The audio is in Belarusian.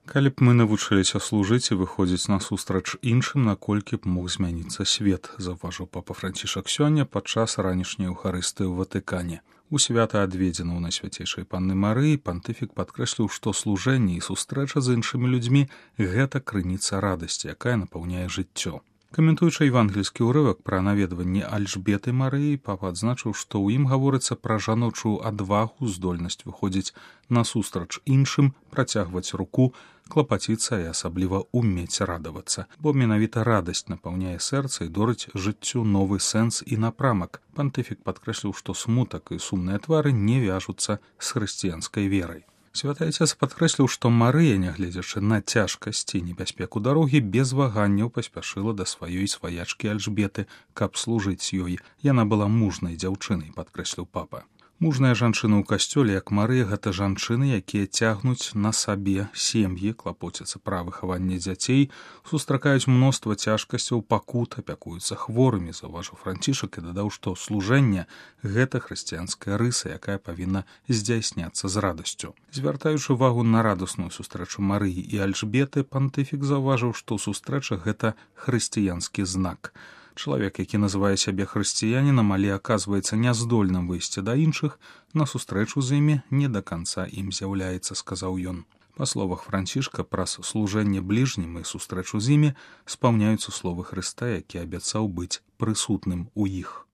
Калі б мы навучыліся служыць і выходзіць насустрач іншым, наколькі б мог змяніцца свет, заўважыў папа Францішак сёння падчас ранішняй Еўхарыстыі ў Ватыкане. У свята, адведзена ў Найсвяцейшай Панны Марыі, пантыфік падкрэсліў, што служэнне і сустрэча з іншымі людзьмі – гэта крыніца радасці, якая напаўняе жыццё. Каментуючы евангельскі ўрывак пра наведванне Альжбеты Марыі, папа адзначыў, што ў ім гаворыцца пра жаночую адвагу, здольнасць выходзіць насустрач іншым, працягваць руку, клапаціцца і асабліва умець радавацца, бо менавіта радасць напаўняе сэрца і дорыць жыццю новы сэнс і напрамак. Пантыфік падкрэсліў, што смутак і сумныя твары не вяжуцца з хрысціянскай верай. Святы Отец падкрэсліў, што Марыя, нягледзячы на цяжкасці і небяспеку дарогі, без ваганняў паспяшыла да сваёй сваячкі Альжбеты, каб служыць ёй. Яна была мужнай дзяўчынай, падкрэсліў папа. Мужная жанчына ў касцёле, як Марыя, гэта жанчыны, якія цягнуць на сабе сем'і, клапоцяцца пра выхаванне дзяцей, сустракаюць мноства цяжкасцяў, пакут, апякуюцца хворымі, заўважыў Францішак і дадаў, што служэнне – гэта хрысціянская рыса, якая павінна здзяйсняцца з радасцю. Звяртаючы увагу на радасную сустрэчу Марыі і Альжбеты, пантыфік заўважыў, што сустрэча – гэта хрысціянскі знак. Чалавек, які называе сябе хрысціянінам, але аказваецца няздольным выйсці да іншых, на сустрэчу з імі не да канца ім з'яўляецца, сказаў ён. Па словах Францішка, праз служэнне бліжнім і сустрэчу з імі спаўняюцца словы Хрыста, які абяцаў быць прысутным у іх.